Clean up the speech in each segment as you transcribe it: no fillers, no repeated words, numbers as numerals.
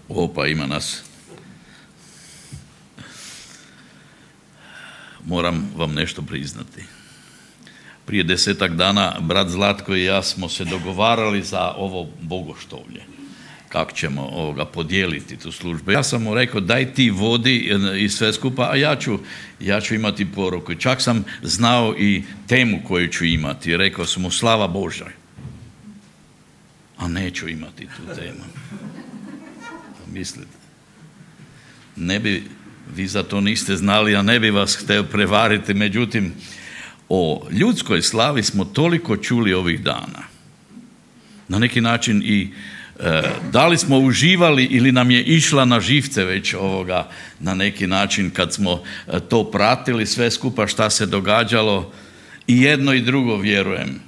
Opa, ima nas. Moram vam nešto priznati. Prije 10-ak dana brat Zlatko i ja smo se dogovarali za ovo bogoštovlje. Kako ćemo podijeliti tu službu. Ja sam mu rekao daj ti vodi i sve skupa, a ja ću imati poruku. Čak sam znao i temu koju ću imati. Rekao sam mu slava Božja. A neću imati tu temu. Mislite, vi za to niste znali, a ne bi vas htio prevariti, međutim, o ljudskoj slavi smo toliko čuli ovih dana. Na neki način i da li smo uživali ili nam je išla na živce već na neki način kad smo to pratili sve skupa šta se događalo, i jedno i drugo vjerujem.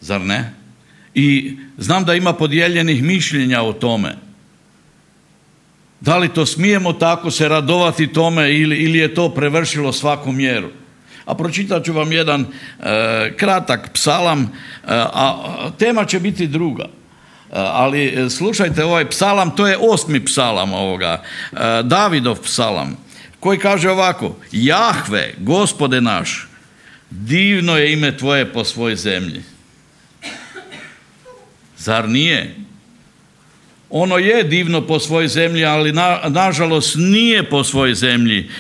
Zar ne? I znam da ima podijeljenih mišljenja o tome. Da li to smijemo tako se radovati tome ili je to prevršilo svaku mjeru? A pročitat ću vam jedan kratak psalam, a tema će biti druga. Ali slušajte ovaj psalam, to je 8. psalam Davidov psalam, koji kaže ovako: Jahve, Gospode naš, divno je ime tvoje po svoj zemlji. Zar nije? Ono je divno po svojoj zemlji, ali nažalost nije po svojoj zemlji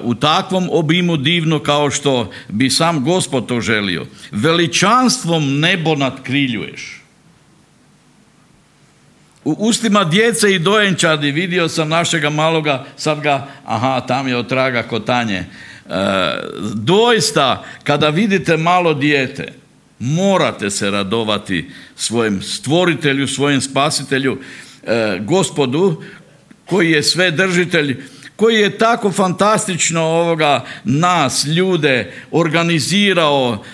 u takvom obimu divno kao što bi sam Gospod to želio. Veličanstvom nebo nadkriljuješ. U ustima djece i dojenčadi vidio sam našega maloga, sad ga, tam je otraga kotanje. Doista, kada vidite malo dijete, morate se radovati svojem stvoritelju, svojem spasitelju, Gospodu, koji je svedržitelj, koji je tako fantastično nas, ljude, organizirao.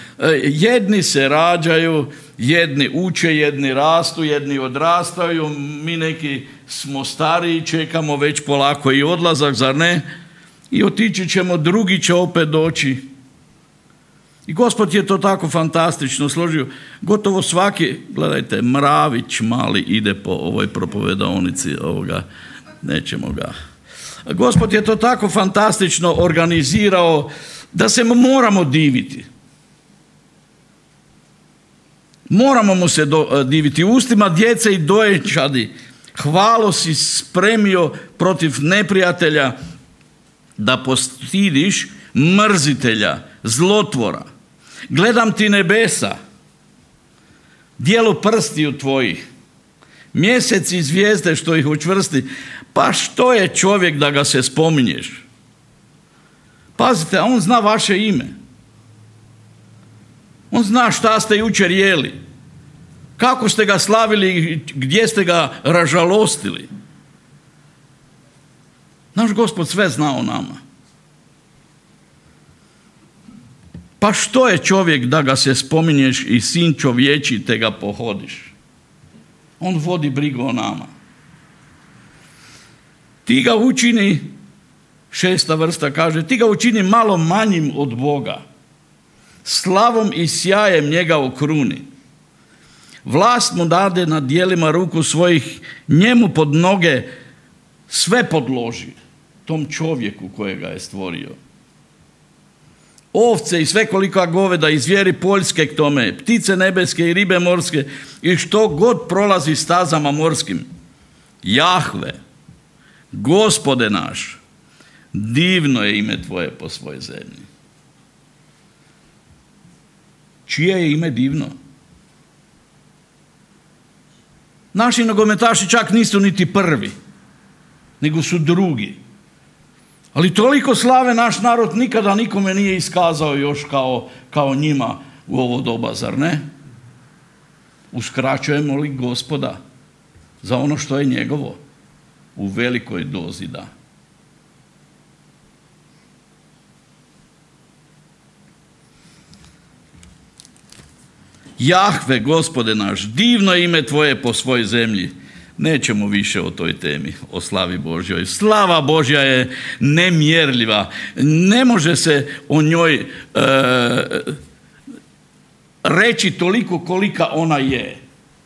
Jedni se rađaju, jedni uče, jedni rastu, jedni odrastaju, mi neki smo stariji, čekamo već polako i odlazak, zar ne? I otići ćemo, drugi će opet doći. I Gospod je to tako fantastično složio. Gotovo svaki, gledajte, mravić mali ide po ovoj propovedaonici, nećemo ga. Gospod je to tako fantastično organizirao da se moramo diviti. Moramo mu se diviti. Ustima djece i dojenčadi hvalo si spremio protiv neprijatelja, da postidiš mrzitelja, zlotvora. Gledam ti nebesa, dijelo prstiju tvojih, mjesec i zvijezde što ih učvrsti. Pa što je čovjek da ga se spominješ? Pazite, on zna vaše ime. On zna šta ste jučer jeli, kako ste ga slavili, gdje ste ga ražalostili. Naš Gospod sve zna o nama. Pa što je čovjek da ga se spominješ i sin čovječi te ga pohodiš? On vodi brigu o nama. Ti ga učini, 6. vrsta kaže, ti ga učini malo manjim od Boga. Slavom i sjajem njega okruni. Vlast mu dade nad dijelima ruku svojih, njemu pod noge sve podloži, tom čovjeku kojega je stvorio. Ovce i svekolika goveda i zvijeri poljske k tome, ptice nebeske i ribe morske i što god prolazi stazama morskim. Jahve, Gospode naš, divno je ime tvoje po svojoj zemlji. Čije je ime divno? Naši nogometaši čak nisu niti prvi, nego su drugi. Ali toliko slave naš narod nikada nikome nije iskazao još kao njima u ovo doba, zar ne? Uskraćujemo li Gospoda za ono što je njegovo? U velikoj dozi da. Jahve, Gospode naš, divno je ime tvoje po svojoj zemlji. Nećemo više o toj temi, o slavi Božjoj. Slava Božja je nemjerljiva. Ne može se o njoj reći toliko kolika ona je.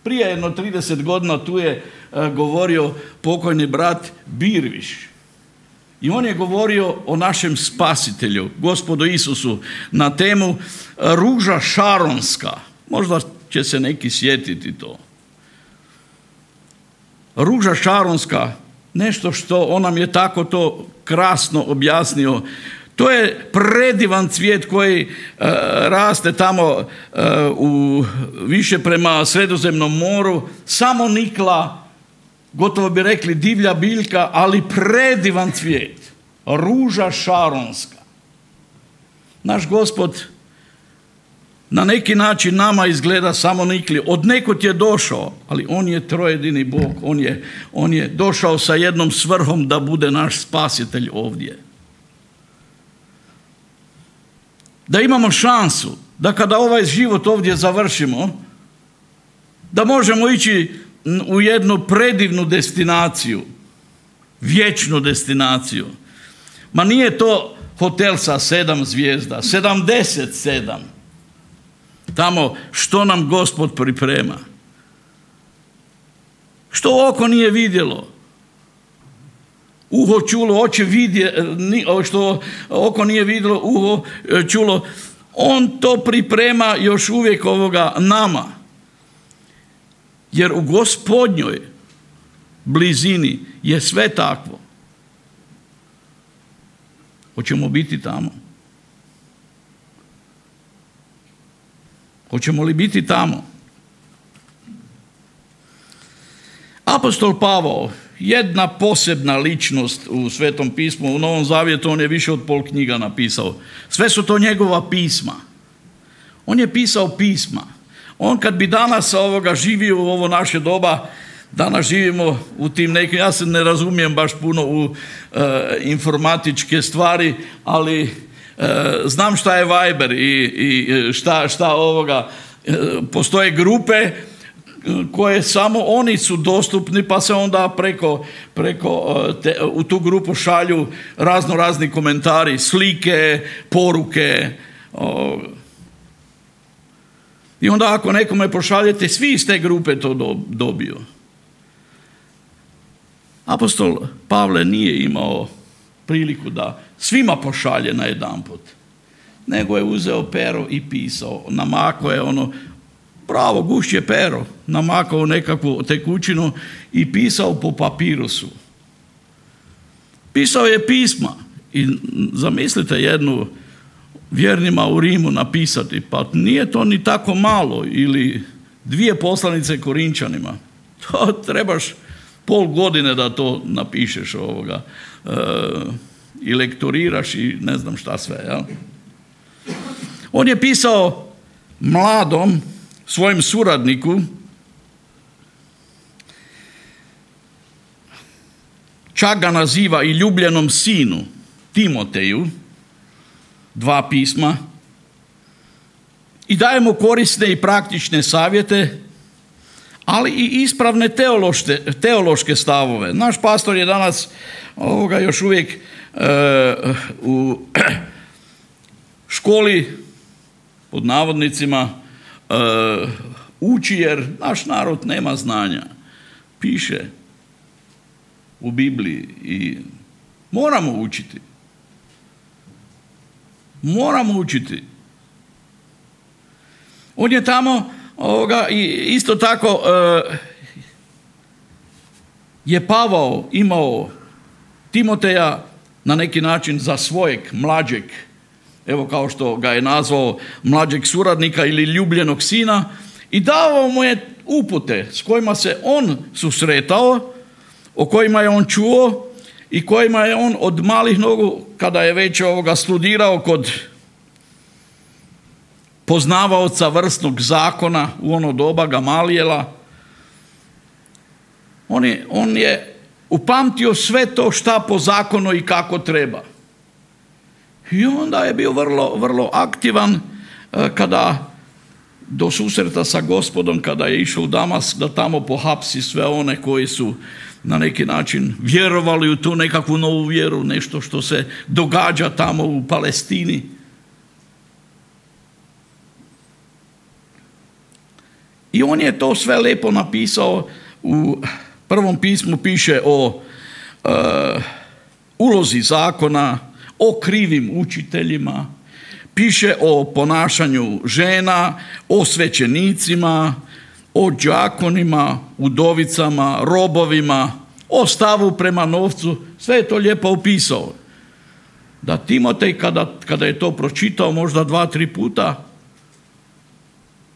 Prije jedno 30 godina tu je govorio pokojni brat Birviš. I on je govorio o našem spasitelju, Gospodu Isusu, na temu ruža šaronska. Možda će se neki sjetiti to. Ruža šaronska, nešto što on nam je tako to krasno objasnio. To je predivan cvijet koji raste tamo više prema Sredozemnom moru, samo nikla, gotovo bi rekli divlja biljka, ali predivan cvijet. Ruža šaronska. Naš Gospod na neki način nama izgleda samo nikli. Od nekud je došao, ali on je trojedini Bog. On je došao sa jednom svrhom da bude naš spasitelj ovdje. Da imamo šansu da kada ovaj život ovdje završimo, da možemo ići u jednu predivnu destinaciju, vječnu destinaciju. Ma nije to hotel sa 7 zvijezda, 77. Tamo što nam Gospod priprema. Što oko nije vidjelo. Uho čulo, oči što oko nije vidjelo, uho čulo. On to priprema još uvijek nama. Jer u Gospodnjoj blizini je sve takvo. Hoćemo biti tamo? Hoćemo li biti tamo? Apostol Pavao, jedna posebna ličnost u Svetom pismu, u Novom Zavjetu on je više od pol knjiga napisao. Sve su to njegova pisma. On je pisao pisma. On kad bi danas živio u ovo naše doba, danas živimo u tim nekim, ja se ne razumijem baš puno u informatičke stvari, ali znam šta je Viber i šta postoje grupe koje samo oni su dostupni, pa se onda u tu grupu šalju razni komentari, slike, poruke. I onda ako nekome pošaljete, svi iz te grupe to dobiju. Apostol Pavle nije imao priliku da svima pošalje najedanput, nego je uzeo pero i pisao. Namakao je pravo gušće pero, namakao nekakvu tekućinu i pisao po papirusu. Pisao je pisma i zamislite jednu vjernima u Rimu napisati, pa nije to ni tako malo, ili 2 poslanice Korinčanima. To trebaš pol godine da to napišeš i lektoriraš i ne znam šta sve. Jel? On je pisao mladom svojem suradniku, čak ga naziva i ljubljenom sinu Timoteju, 2 pisma, i daje mu korisne i praktične savjete, ali i ispravne teološke stavove. Naš pastor je danas još uvijek u školi, pod navodnicima, uči, jer naš narod nema znanja. Piše u Bibliji i moramo učiti. Moramo učiti. On je tamo i isto tako je Pavao imao Timoteja na neki način za svojeg mlađeg, evo kao što ga je nazvao, mlađeg suradnika ili ljubljenog sina, i davao mu je upute s kojima se on susretao, o kojima je on čuo i kojima je on od malih nogu, kada je već studirao kod poznavaoca vrsnog zakona u ono doba Gamalijela, on je upamtio sve to šta po zakonu i kako treba. I onda je bio vrlo, vrlo aktivan kada do susreta sa Gospodom, kada je išao u Damask, da tamo pohapsi sve one koji su na neki način vjerovali u tu nekakvu novu vjeru, nešto što se događa tamo u Palestini. I on je to sve lijepo napisao. U prvom pismu piše o ulozi zakona, o krivim učiteljima, piše o ponašanju žena, o svećenicima, o đakonima, udovicama, robovima, o stavu prema novcu. Sve je to lijepo opisao. Da Timotej kada je to pročitao možda 2-3 puta,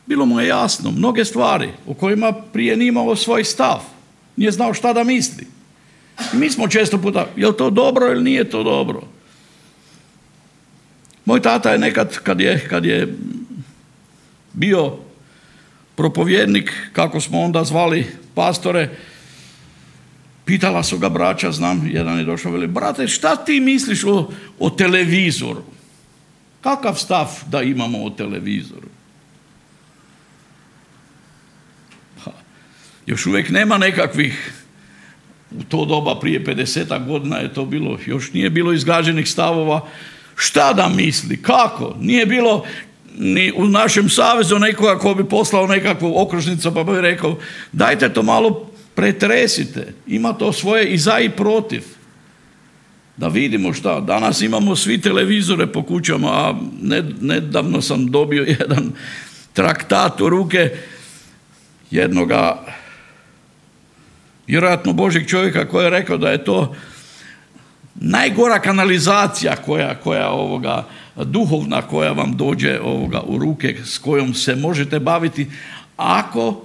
bilo mu je jasno mnoge stvari o kojima prije nije imao svoj stav. Nije znao šta da misli. I mi smo često puta, je li to dobro ili nije to dobro? Moj tata je nekad, kad je bio propovjednik, kako smo onda zvali pastore, pitala su ga braća, znam, jedan je došao, veli, brate, šta ti misliš o televizoru? Kakav stav da imamo o televizoru? Još uvijek nema nekakvih, u to doba prije 50 godina je to bilo, još nije bilo izgrađenih stavova, šta da misli, kako? Nije bilo ni u našem savezu nekoga ko bi poslao nekakvu okružnicu pa bi rekao, dajte to malo pretresite, ima to svoje i za i protiv. Da vidimo šta, danas imamo svi televizore po kućama, a nedavno sam dobio jedan traktat u ruke jednoga vjerojatno Božjeg čovjeka koji je rekao da je to najgora kanalizacija koja duhovna koja vam dođe u ruke, s kojom se možete baviti ako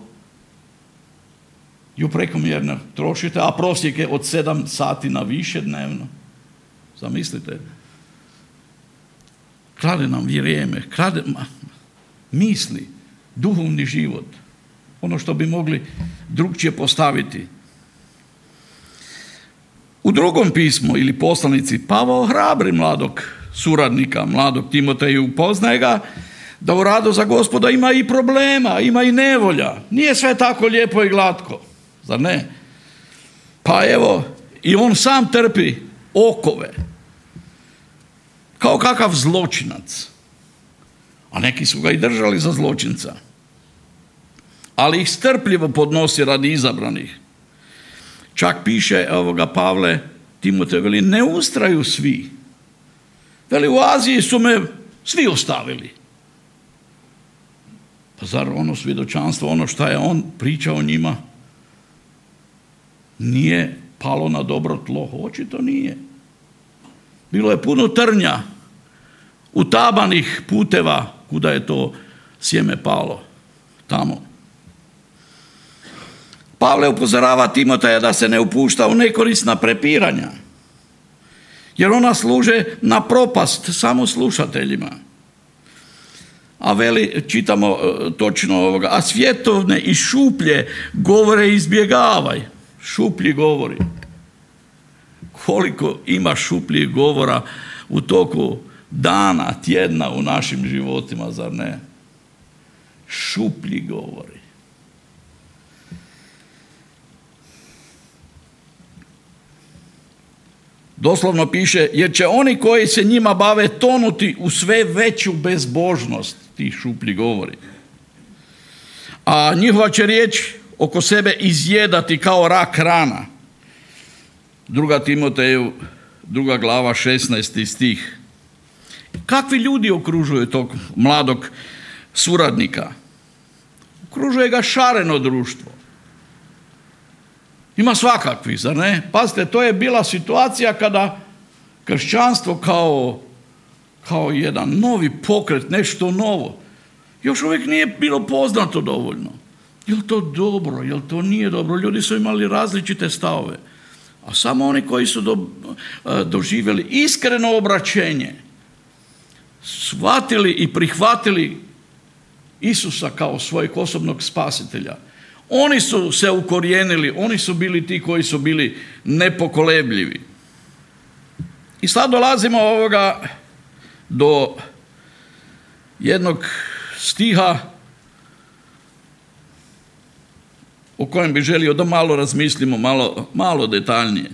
ju prekomjerno trošite, a prosjek je od 7 sati na više dnevno. Zamislite. Krade nam vrijeme, krade misli, duhovni život. Ono što bi mogli drugčije postaviti. U drugom pismu ili poslanici Pavao hrabri mladog suradnika, mladog Timoteju, upoznaje ga da u radu za Gospoda ima i problema, ima i nevolja. Nije sve tako lijepo i glatko, zar ne? Pa evo, i on sam trpi okove, kao kakav zločinac. A neki su ga i držali za zločinca. Ali ih strpljivo podnosi radi izabranih. Čak piše Pavle Timotej, veli, ne ustraju svi. Veli, u Aziji su me svi ostavili. Pa zar ono svjedočanstvo, ono što je on pričao njima, nije palo na dobro tlo? Očito nije. Bilo je puno trnja, utabanih puteva kuda je to sjeme palo. Tamo. Pavle upozorava Timoteja da se ne upušta u nekorisna prepiranja, jer ona služe na propast samo slušateljima. A veli, čitamo točno a svjetovne i šuplje govore izbjegavaj. Šuplji govori. Koliko ima šupljih govora u toku dana, tjedna u našim životima, zar ne? Šuplji govori. Doslovno piše, jer će oni koji se njima bave tonuti u sve veću bezbožnost, ti šuplji govori. A njihova će riječ oko sebe izjedati kao rak rana. 2. Timoteju, 2. glava, 16. stih. Kakvi ljudi okružuju tog mladog suradnika? Okružuje ga šareno društvo. Ima svakakvi, zar ne? Pazite, to je bila situacija kada kršćanstvo kao jedan novi pokret, nešto novo, još uvijek nije bilo poznato dovoljno. Je li to dobro, je li to nije dobro? Ljudi su imali različite stavove. A samo oni koji su doživjeli iskreno obraćenje, shvatili i prihvatili Isusa kao svojeg osobnog spasitelja, oni su se ukorijenili, oni su bili ti koji su bili nepokolebljivi. I sad dolazimo do jednog stiha o kojem bi želio da malo razmislimo, malo detaljnije.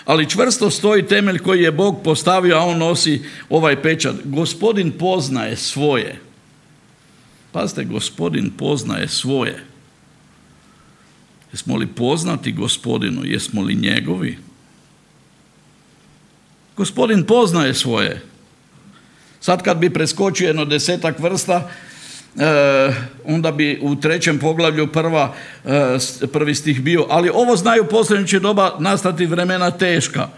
Ali čvrsto stoji temelj koji je Bog postavio, a on nosi ovaj pečat. Gospodin poznaje svoje. Pazite, Gospodin poznaje svoje. Jesmo li poznati Gospodinu? Jesmo li njegovi? Gospodin poznaje svoje. Sad kad bi preskočio jedno 10-ak vrsta, onda bi u 3. poglavlju prvi stih bio, ali ovo znaju posljednje će doba nastati vremena teška,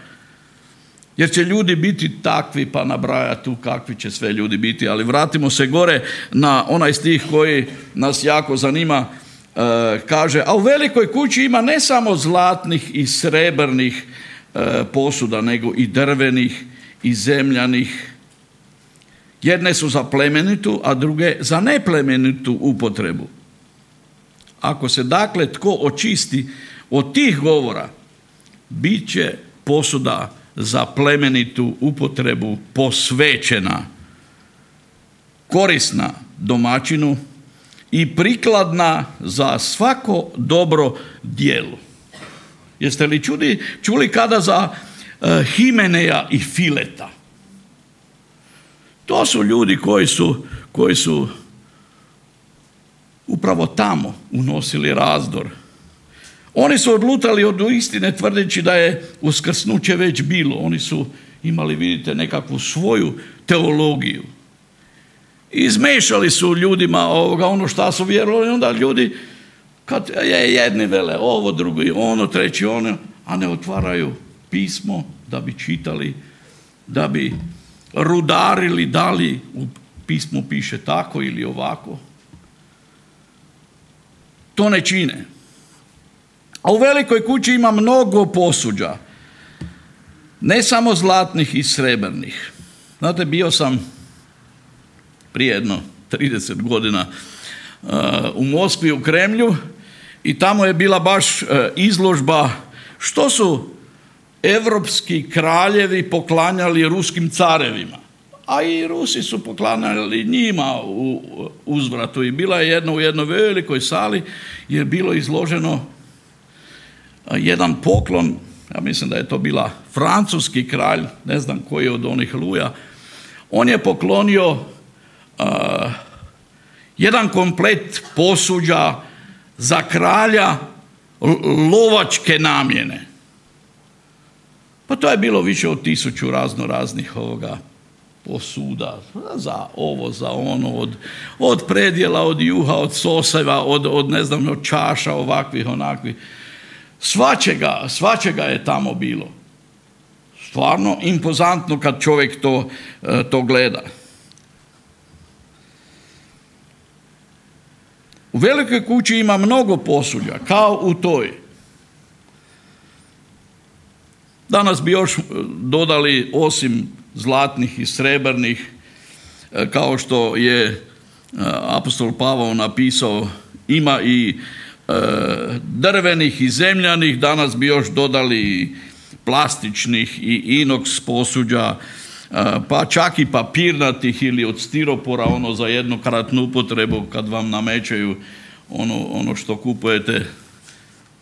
jer će ljudi biti takvi, pa nabraja tu kakvi će sve ljudi biti. Ali vratimo se gore na onaj stih koji nas jako zanima. Kaže, a u velikoj kući ima ne samo zlatnih i srebrnih posuda, nego i drvenih i zemljanih. Jedne su za plemenitu, a druge za neplemenitu upotrebu. Ako se dakle tko očisti od tih govora, bit će posuda za plemenitu upotrebu posvećena, korisna domaćinu i prikladna za svako dobro djelo. Jeste li čuli kada za Himeneja i Fileta? To su ljudi koji su upravo tamo unosili razdor. Oni su odlutali od istine tvrdeći da je uskrsnuće već bilo. Oni su imali, vidite, nekakvu svoju teologiju. Izmešali su ljudima ono što su vjerovali, onda ljudi, kad jedni vele ovo, drugi ono, treći ono, a ne otvaraju pismo da bi čitali, da bi rudarili da li u pismu piše tako ili ovako. To ne čine. A u velikoj kući ima mnogo posuđa, ne samo zlatnih i srebrnih. Znate, bio sam prije jedno 30 godina u Moskvi, u Kremlju, i tamo je bila baš izložba što su evropski kraljevi poklanjali ruskim carevima. A i Rusi su poklanjali njima u uzvratu. I bila je u jednoj velikoj sali je bilo izloženo jedan poklon, ja mislim da je to bila francuski kralj, ne znam koji od onih Luja. On je poklonio jedan komplet posuđa za kralja lovačke namjene. Pa to je bilo više od 1000 raznih posuda, za ovo, za ono, od predjela, od juha, od soseva, od ne znam, od čaša, ovakvih, onakvih. Svačega je tamo bilo. Stvarno impozantno kad čovjek to gleda. U velikoj kući ima mnogo posuđa, kao u toj. Danas bi još dodali, osim zlatnih i srebrnih, kao što je apostol Pavao napisao, ima i drvenih i zemljanih, danas bi još dodali plastičnih i inoks posuđa, pa čak i papirnatih ili od stiropora, ono za jednokratnu upotrebu kad vam namećaju ono što kupujete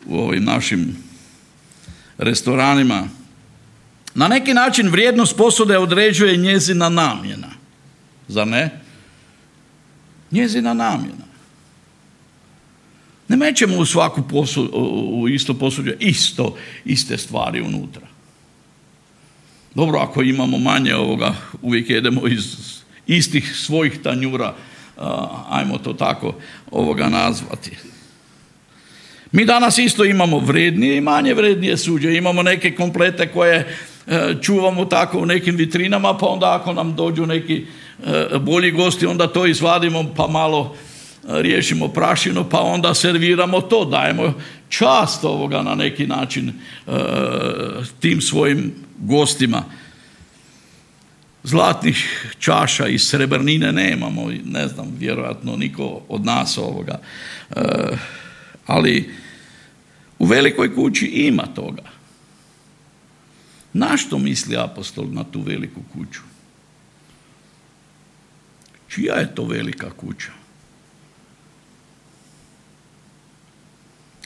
u ovim našim restoranima. Na neki način vrijednost posude određuje njezina namjena. Zar ne? Njezina namjena. Ne mećemo u svaku u isto posuđe iste stvari unutra. Dobro, ako imamo manje uvijek jedemo iz istih svojih tanjura, ajmo to tako nazvati. Mi danas isto imamo vrednije i manje vrednije suđe. Imamo neke komplete koje čuvamo tako u nekim vitrinama, pa onda ako nam dođu neki bolji gosti, onda to izvadimo pa malo riješimo prašinu, pa onda serviramo to, dajemo čast na neki način tim svojim gostima. Zlatnih čaša i srebrnine nemamo, ne znam, vjerojatno niko od nas ali u velikoj kući ima toga. Na što misli apostol na tu veliku kuću? Čija je to velika kuća?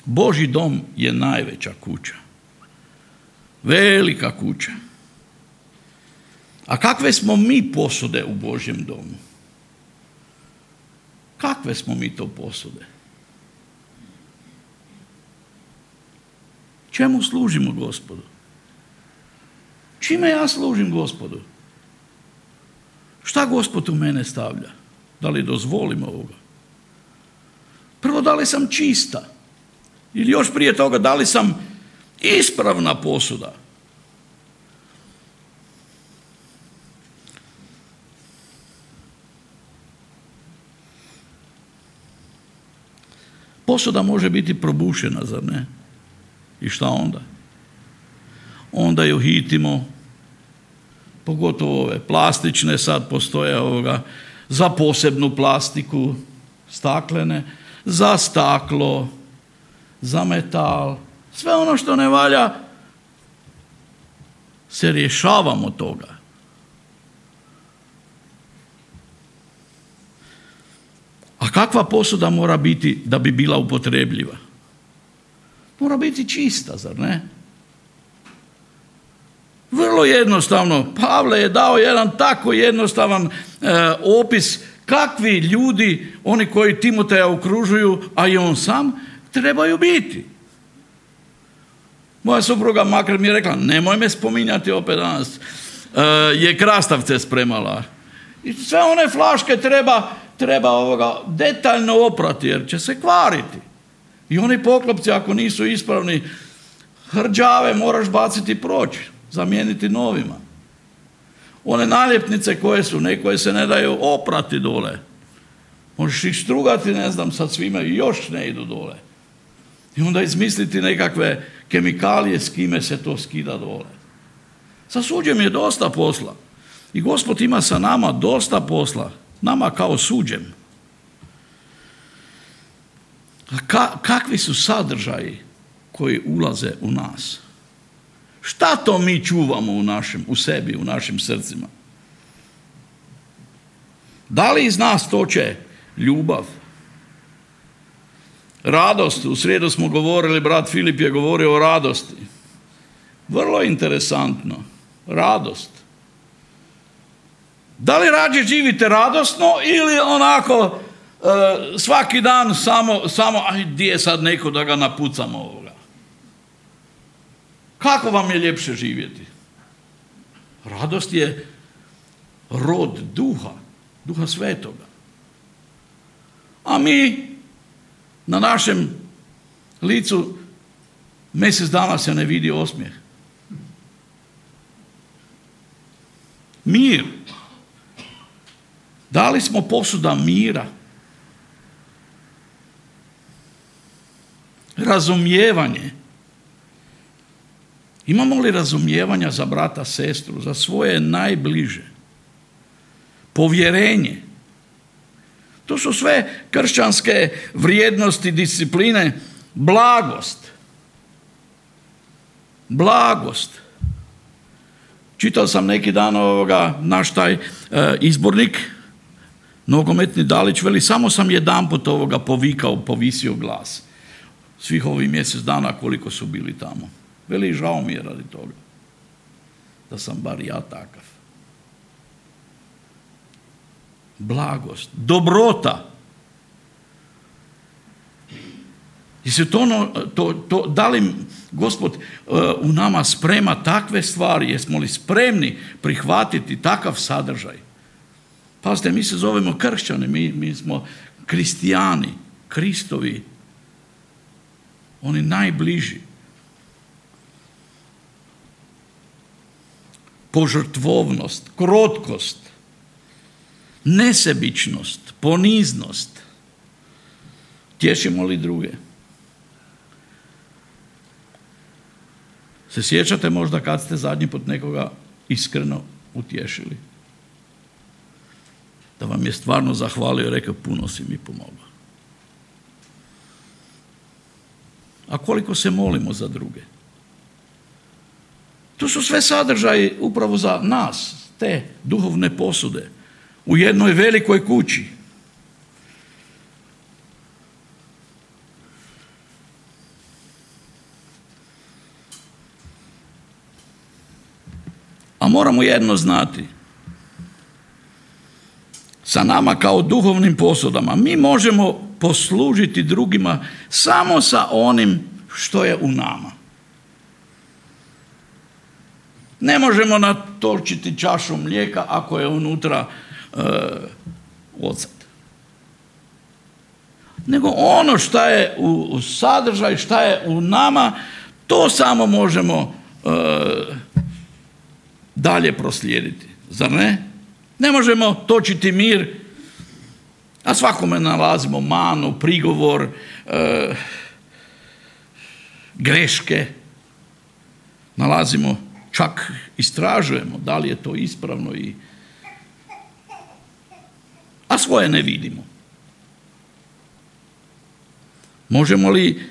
Božji dom je najveća kuća. Velika kuća. A kakve smo mi posude u Božjem domu? Kakve smo mi to posude? Čemu služimo Gospodu? Čime ja služim Gospodu? Šta Gospod u mene stavlja? Da li dozvolim ovoga? Prvo, da li sam čista? Ili još prije toga, da li sam ispravna posuda? Posuda može biti probušena, zar ne? I šta onda? Onda ju hitimo, pogotovo ove plastične, sad postoje za posebnu plastiku, staklene, za staklo, za metal, sve ono što ne valja, se rješavamo toga. A kakva posuda mora biti da bi bila upotrebljiva? Mora biti čista, zar ne? Vrlo jednostavno. Pavle je dao jedan tako jednostavan opis kakvi ljudi, oni koji Timoteja okružuju, a i on sam, trebaju biti. Moja supruga makar mi je rekla, nemoj me spominjati opet danas, je krastavce spremala. I sve one flaške treba detaljno oprati jer će se kvariti. I oni poklopci ako nisu ispravni, hrđave moraš baciti proći, zamijeniti novima. One naljepnice koje se ne daju oprati dole. Možeš ih strugati, ne znam, sad svima i još ne idu dole. I onda izmisliti nekakve kemikalije s kime se to skida dole. Sa suđem je dosta posla. I Gospod ima sa nama dosta posla. Nama kao suđem. A kakvi su sadržaji koji ulaze u nas? Šta to mi čuvamo u sebi, u našim srcima? Da li iz nas toče ljubav? Radost, u srijedu smo govorili, brat Filip je govorio o radosti. Vrlo interesantno. Radost. Da li rađe živite radosno ili onako svaki dan samo aj gdje je sad neko da ga napucamo ovoga? Kako vam je ljepše živjeti? Radost je rod duha svetoga. A mi na našem licu mjesec dana se ne vidi osmijeh. Mir. Da li smo posuda mira? Razumijevanje. Imamo li razumijevanja za brata, sestru, za svoje najbliže? Povjerenje. To su sve kršćanske vrijednosti, discipline. Blagost. Blagost. Čitao sam neki dan naš taj izbornik, nogometni Dalić, veli, samo sam jedanput povisio glas. Svih ovih mjesec dana koliko su bili tamo. Veli, žao mi je radi toga. Da sam bar ja takav. Blagost. Dobrota. Da li Gospod u nama sprema takve stvari? Jesmo li spremni prihvatiti takav sadržaj? Pazite, mi se zovemo kršćani, mi smo kristijani, Kristovi, oni najbliži. Požrtvovnost, krotkost, nesebičnost, poniznost. Tješimo li druge? Se sjećate možda kad ste zadnji put nekoga iskreno utješili? Da vam je stvarno zahvalio i rekao, puno si mi pomogao. A koliko se molimo za druge? To su sve sadržaji upravo za nas, te duhovne posude, u jednoj velikoj kući. A moramo jedno znati. Sa nama kao duhovnim posudama mi možemo poslužiti drugima samo sa onim što je u nama. Ne možemo natočiti čašu mlijeka ako je unutra ocet. Nego ono što je u sadržaju, što je u nama, to samo možemo dalje proslijediti. Zar ne? Ne možemo točiti mir, a svakome nalazimo manu, prigovor, greške. Nalazimo, čak istražujemo da li je to ispravno, a svoje ne vidimo. Možemo li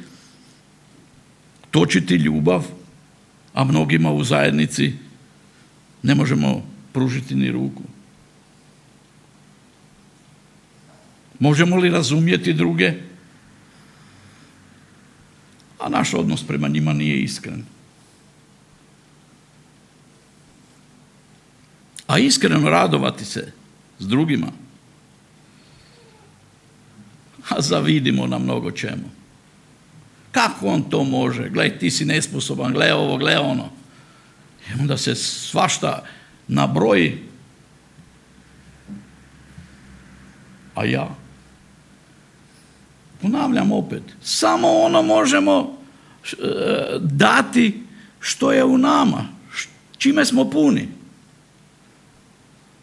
točiti ljubav, a mnogima u zajednici ne možemo pružiti ni ruku? Možemo li razumjeti druge, a naš odnos prema njima nije iskren? A iskreno radovati se s drugima, a zavidimo na mnogo čemu. Kako on to može? Gle, ti si nesposoban, gle ovo, gle ono. I onda se svašta nabroji, a ja ponavljam opet, samo ono možemo dati što je u nama, čime smo puni.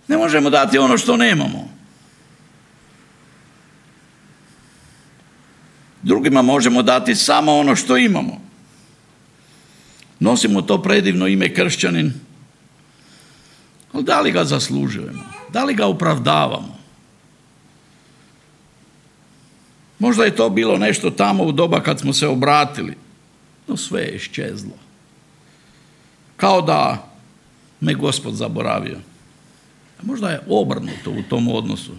Ne možemo dati ono što nemamo. Drugima možemo dati samo ono što imamo. Nosimo to predivno ime kršćanin, ali da li ga zaslužujemo? Da li ga opravdavamo? Možda je to bilo nešto tamo u doba kad smo se obratili, no sve je iščezlo. Kao da me Gospod zaboravio. A možda je obrnuto u tom odnosu.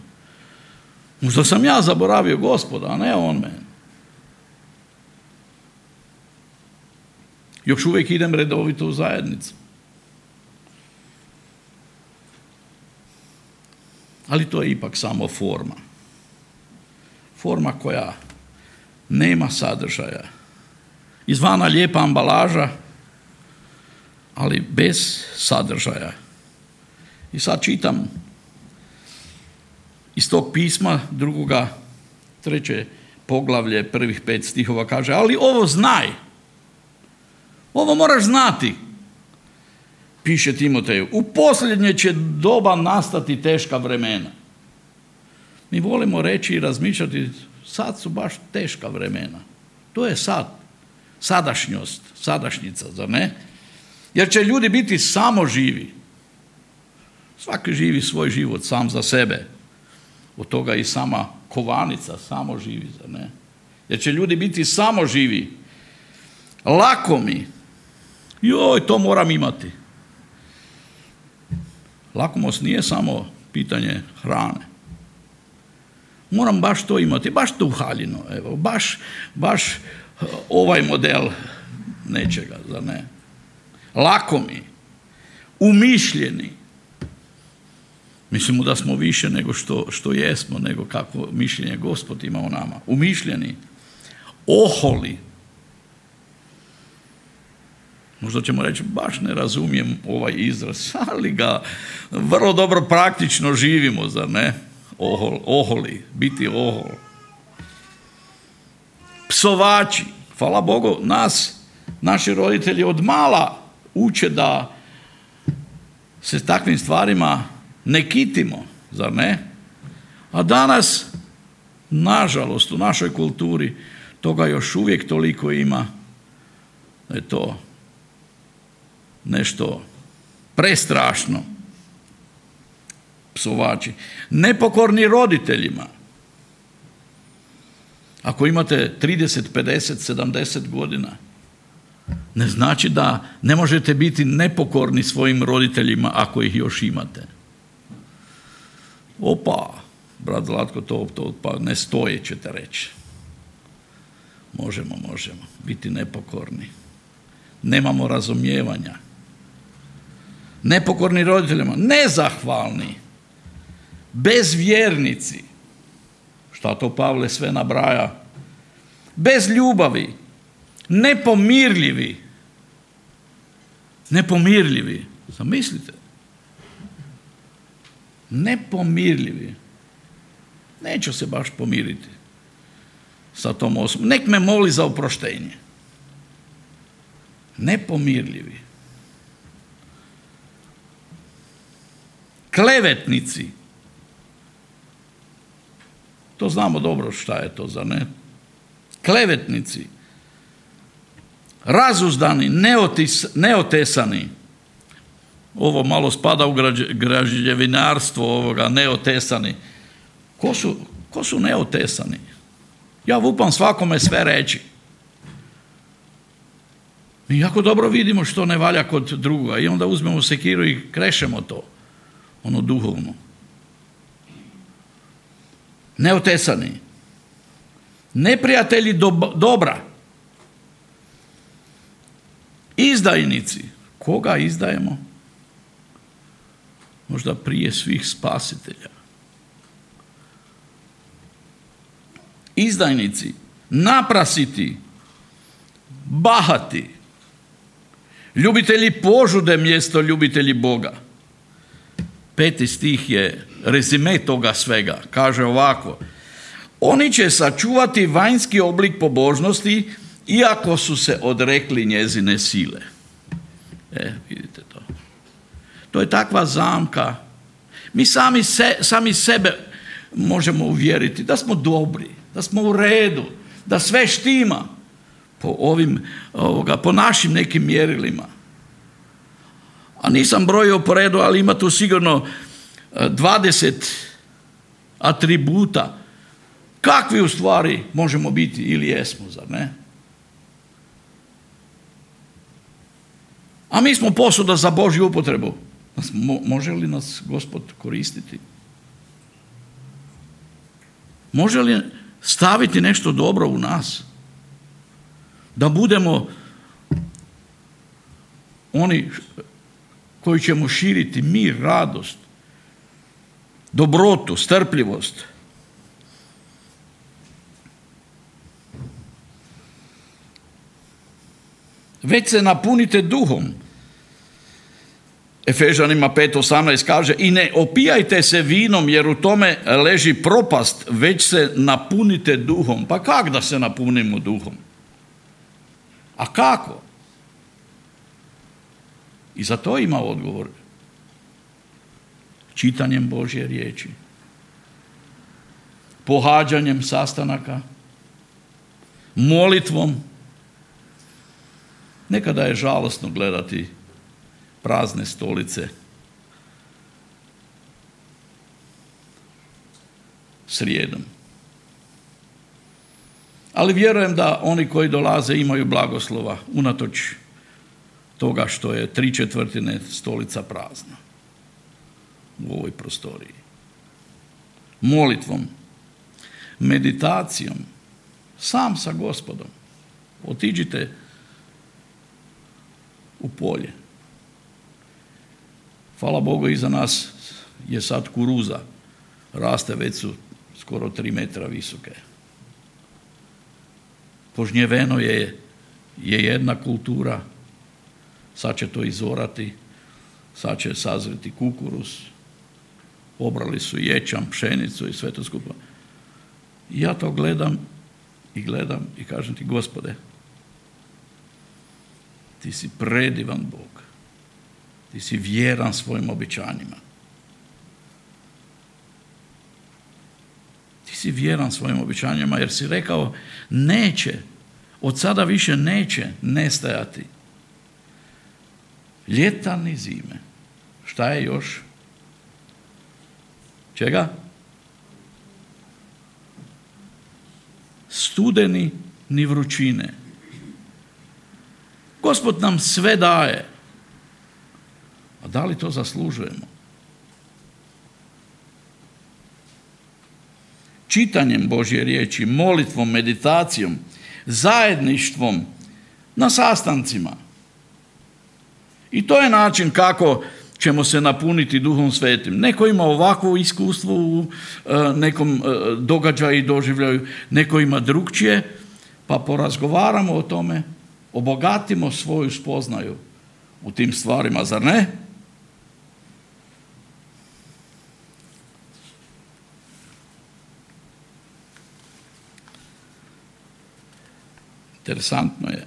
Možda sam ja zaboravio Gospoda, a ne on mene. Još uvijek idem redovito u zajednicu. Ali to je ipak samo forma. Forma koja nema sadržaja. Izvana lijepa ambalaža, ali bez sadržaja. I sad čitam iz tog pisma 3. poglavlje, prvih 5 stihova kaže, ali ovo znaj. Ovo moraš znati, piše Timoteju. U posljednje će doba nastati teška vremena. Mi volimo reći i razmišljati, sad su baš teška vremena. To je sad, sadašnjost, sadašnjica, zar ne? Jer će ljudi biti samo živi. Svaki živi svoj život sam za sebe. Od toga i sama kovanica samo živi, zar ne? Jer će ljudi biti samo živi. Lakomi. Joj, to moram imati. Lakomost nije samo pitanje hrane. Moram baš to imati, baš tu haljinu, evo, baš ovaj model nečega, zar ne? Lakomi, umišljeni. Mislimo da smo više nego što jesmo, nego kako mišljenje Gospod ima o nama. Umišljeni, oholi. Možda ćemo reći, baš ne razumijem ovaj izraz, ali ga vrlo dobro praktično živimo, zar ne? Oholi, biti ohol. Psovači. Hvala Bogu, naši roditelji od mala uče da se takvim stvarima ne kitimo, zar ne? A danas, nažalost, u našoj kulturi toga još uvijek toliko ima da je to nešto prestrašno. Psovači. Nepokorni roditeljima. Ako imate 30, 50, 70 godina, ne znači da ne možete biti nepokorni svojim roditeljima ako ih još imate. Opa, brat Zlatko, to pa ne stoje, ćete reći. Možemo biti nepokorni. Nemamo razumijevanja. Nepokorni roditeljima, nezahvalni, bezvjernici. Šta to Pavle sve nabraja? Bez ljubavi, nepomirljivi. Zamislite. Nepomirljivi. Neću se baš pomiriti sa tom osobom. Nek me moli za oproštenje. Nepomirljivi. Klevetnici. To znamo dobro šta je to, zar ne? Klevetnici. Razuzdani, neotesani. Ovo malo spada u građevinarstvo ovoga, neotesani. Ko su neotesani? Ja lupam svakome sve reći. Mi jako dobro vidimo što ne valja kod druga i onda uzmemo sekiru i krešemo to, ono duhovno. Neotesani. Neprijatelji dobra. Izdajnici. Koga izdajemo? Možda prije svih spasitelja. Izdajnici, naprasiti, bahati, ljubitelji požude mjesto ljubitelji Boga. 5. stih je rezime toga svega. Kaže ovako: oni će sačuvati vanjski oblik pobožnosti iako su se odrekli njezine sile. Vidite to. To je takva zamka. Mi sami sebe možemo uvjeriti da smo dobri, da smo u redu, da sve štima po našim nekim mjerilima. A nisam brojio po redu, ali ima tu sigurno 20 atributa kakvi u stvari možemo biti ili jesmo, zar ne? A mi smo posuda za Božju upotrebu. Može li nas Gospod koristiti? Može li staviti nešto dobro u nas? Da budemo oni koji ćemo širiti mir, radost, dobrotu, strpljivost. Već se napunite duhom. Efežanima 5.18 kaže: i ne opijajte se vinom jer u tome leži propast, već se napunite duhom. Pa kako da se napunimo duhom? A kako? I za to ima odgovor. Čitanjem Božje riječi, pohađanjem sastanaka, molitvom. Nekada je žalosno gledati prazne stolice srijedom. Ali vjerujem da oni koji dolaze imaju blagoslova unatoč toga što je 3/4 stolica prazna u ovoj prostoriji. Molitvom, meditacijom, sam sa Gospodom. Otiđite u polje. Hvala Bogu, iza nas je sad kuruza. Raste, već su skoro 3 metra visoke. Požnjeveno je jedna kultura. Sad će to izorati. Sad će sazreti kukuruz. Obrali su ječam, pšenicu i sve to skupa. I ja to gledam i kažem ti: Gospode, ti si predivan Bog. Ti si vjeran svojim obećanjima. Ti si vjeran svojim obećanjima jer si rekao neće, od sada više neće nestajati ljeta ni zime. Šta je još? Čega? Studeni ni vrućine. Gospod nam sve daje. A da li to zaslužujemo? Čitanjem Božje riječi, molitvom, meditacijom, zajedništvom, na sastancima. I to je način kako ćemo se napuniti Duhom Svetim. Neko ima ovakvo iskustvo u nekom događaju i doživljaju, neko ima drugčije, pa porazgovaramo o tome, obogatimo svoju spoznaju u tim stvarima, zar ne? Interesantno je.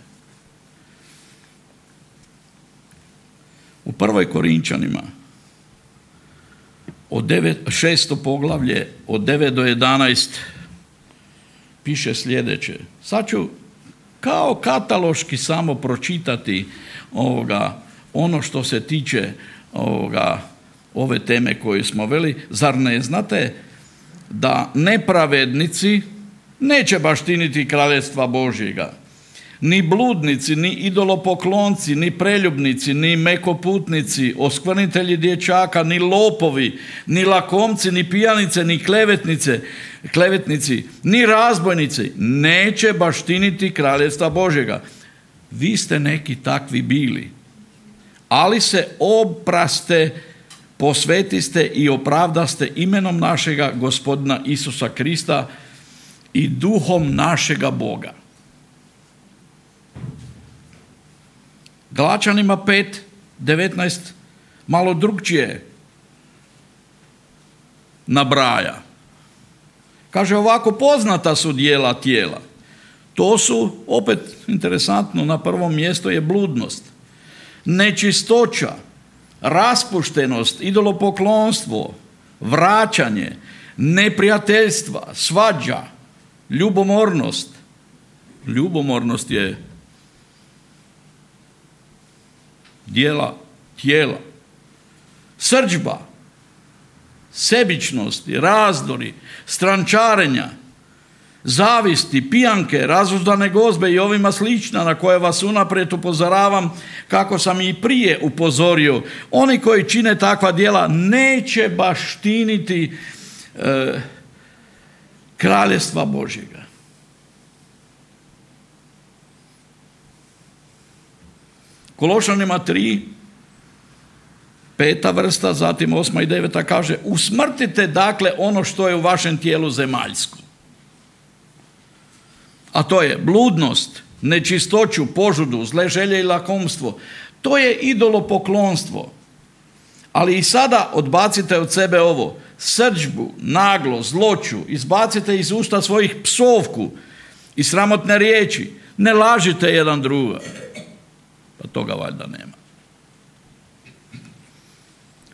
U 1. Korinčanima, 6. poglavlje, od 9 do 11, piše sljedeće. Sad ću kao kataloški samo pročitati ono što se tiče ove teme koju smo veli. Zar ne znate da nepravednici neće baštiniti kraljevstva Božjega? Ni bludnici, ni idolopoklonci, ni preljubnici, ni mekoputnici, oskvrnitelji dječaka, ni lopovi, ni lakomci, ni pijanice, ni klevetnici, ni razbojnici neće baštiniti kraljevstva Božjega. Vi ste neki takvi bili, ali se opraste, posvetiste i opravdaste imenom našega Gospodina Isusa Krista i duhom našega Boga. Galačanima 5:19 malo drugčije nabraja. Kaže ovako, poznata su djela tijela. To su, opet interesantno, na prvom mjestu je bludnost, nečistoća, raspuštenost, idolopoklonstvo, vraćanje, neprijateljstva, svađa, ljubomornost. Ljubomornost je djela tijela. Srdžba, sebičnosti, razdori, strančarenja, zavisti, pijanke, razuzdane gozbe i ovima slična, na koje vas unaprijed upozoravam, kako sam i prije upozorio. Oni koji čine takva djela neće baštiniti kraljevstva Božjega. Kološanima 3, 5. vrsta, zatim 8. i 9. kaže: usmrtite dakle ono što je u vašem tijelu zemaljsko. A to je bludnost, nečistoću, požudu, zle želje i lakomstvo. To je idolopoklonstvo. Ali i sada odbacite od sebe ovo: srdžbu, naglo, zloću, izbacite iz usta svojih psovku i sramotne riječi. Ne lažite jedan druga. Pa toga valjda nema.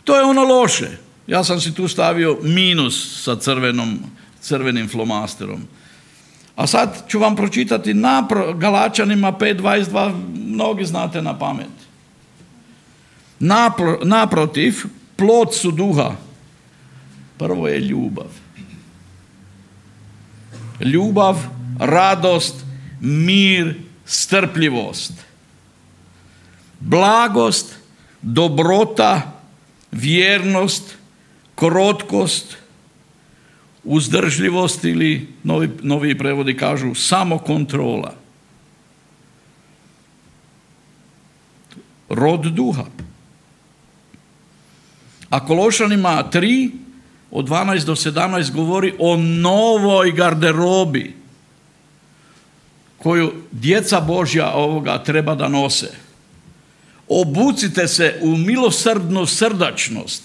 To je ono loše. Ja sam si tu stavio minus sa crvenim flomasterom. A sad ću vam pročitati Galačanima 5:22, mnogi znate na pamet. Naprotiv, plod su duha. Prvo je ljubav. Ljubav, radost, mir, strpljivost, blagost, dobrota, vjernost, krotkost, uzdržljivost ili novi prevodi kažu samokontrola. Rod duha. A Kološanima 3 od 12 do 17 govori o novoj garderobi koju djeca Božja ovoga treba da nose. Obucite se u milosrdnu srdačnost,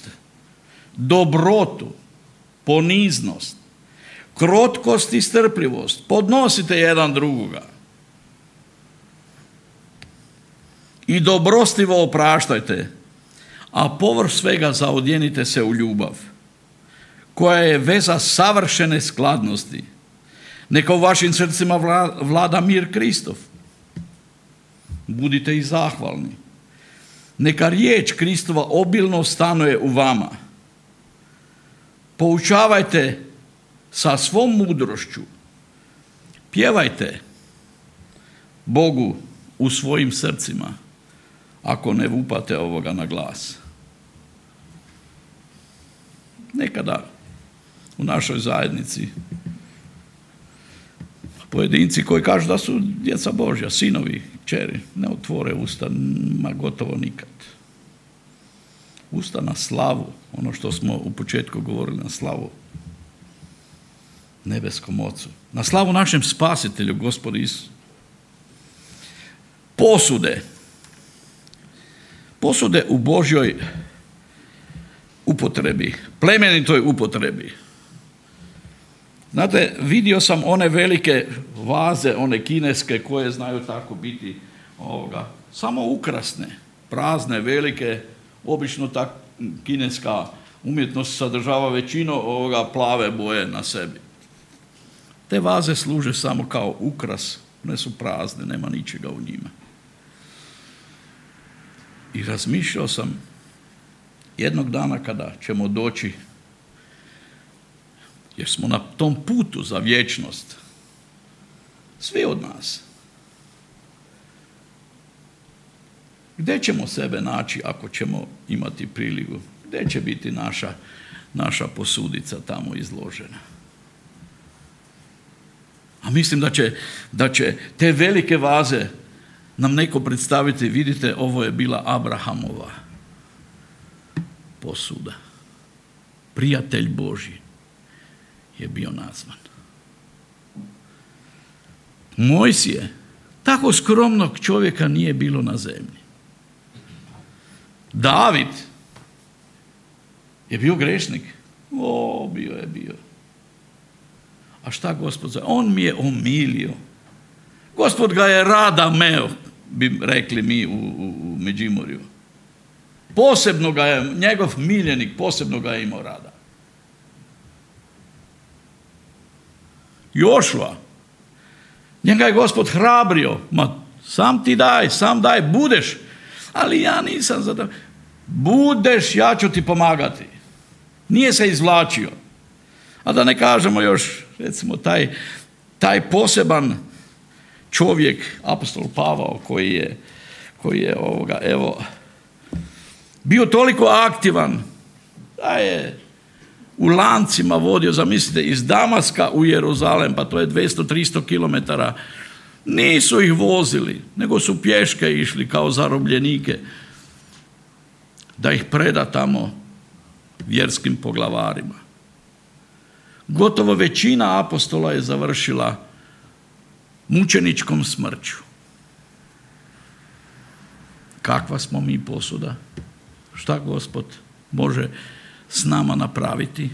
dobrotu, poniznost, krotkost i strpljivost. Podnosite jedan drugoga. I dobrostivo opraštajte, a povrh svega zaodjenite se u ljubav, koja je veza savršene skladnosti. Neka u vašim srcima vlada mir Kristov. Budite i zahvalni. Neka riječ Kristova obilno stanuje u vama. Poučavajte sa svom mudrošću. Pjevajte Bogu u svojim srcima, ako ne vupate ovoga na glas. Nekada u našoj zajednici pojedinci koji kažu da su djeca Božja, sinovi, kćeri, ne otvore usta, ma gotovo nikad. Usta na slavu, ono što smo u početku govorili, na slavu nebeskom Ocu, na slavu našem Spasitelju, Gospodu Isu. Posude u Božjoj upotrebi, plemenitoj upotrebi. Znate, vidio sam one velike vaze, one kineske koje znaju tako biti samo ukrasne, prazne, velike, obično ta kineska umjetnost sadržava većinu plave boje na sebi. Te vaze služe samo kao ukras, one su prazne, nema ničega u njima. I razmišljao sam jednog dana kada ćemo doći, jer smo na tom putu za vječnost, svi od nas. Gdje ćemo sebe naći ako ćemo imati priliku? Gdje će biti naša posudica tamo izložena? A mislim da će te velike vaze nam neko predstaviti, vidite, ovo je bila Abrahamova posuda. Prijatelj Božji je bio nazvan. Mojsije, tako skromnog čovjeka nije bilo na zemlji. David je bio grešnik. Bio. A šta Gospod zove? On mi je omilio. Gospod ga je rada meo, bi rekli mi u Međimurju. Posebno ga je, njegov miljenik, posebno ga je imao rada. Jošua, njega je Gospod hrabrio, sam daj, budeš, ali ja nisam za to. Budeš, ja ću ti pomagati. Nije se izvlačio. A da ne kažemo još, recimo, taj poseban čovjek, apostol Pavao, koji je bio toliko aktivan, da je u lancima vodio, zamislite, iz Damaska u Jeruzalem, pa to je 200-300 kilometara, nisu ih vozili, nego su pješke išli kao zarobljenike, da ih preda tamo vjerskim poglavarima. Gotovo većina apostola je završila mučeničkom smrću. Kakva smo mi posuda? Šta Gospod može s nama napraviti?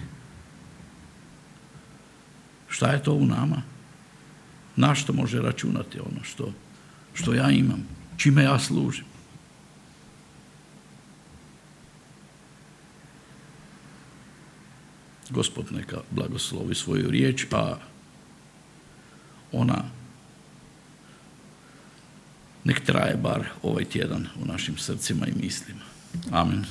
Šta je to u nama? Na što može računati ono što ja imam? Čime ja služim? Gospod neka blagoslovi svoju riječ, a ona nek traje bar ovaj tjedan u našim srcima i mislima. Amen.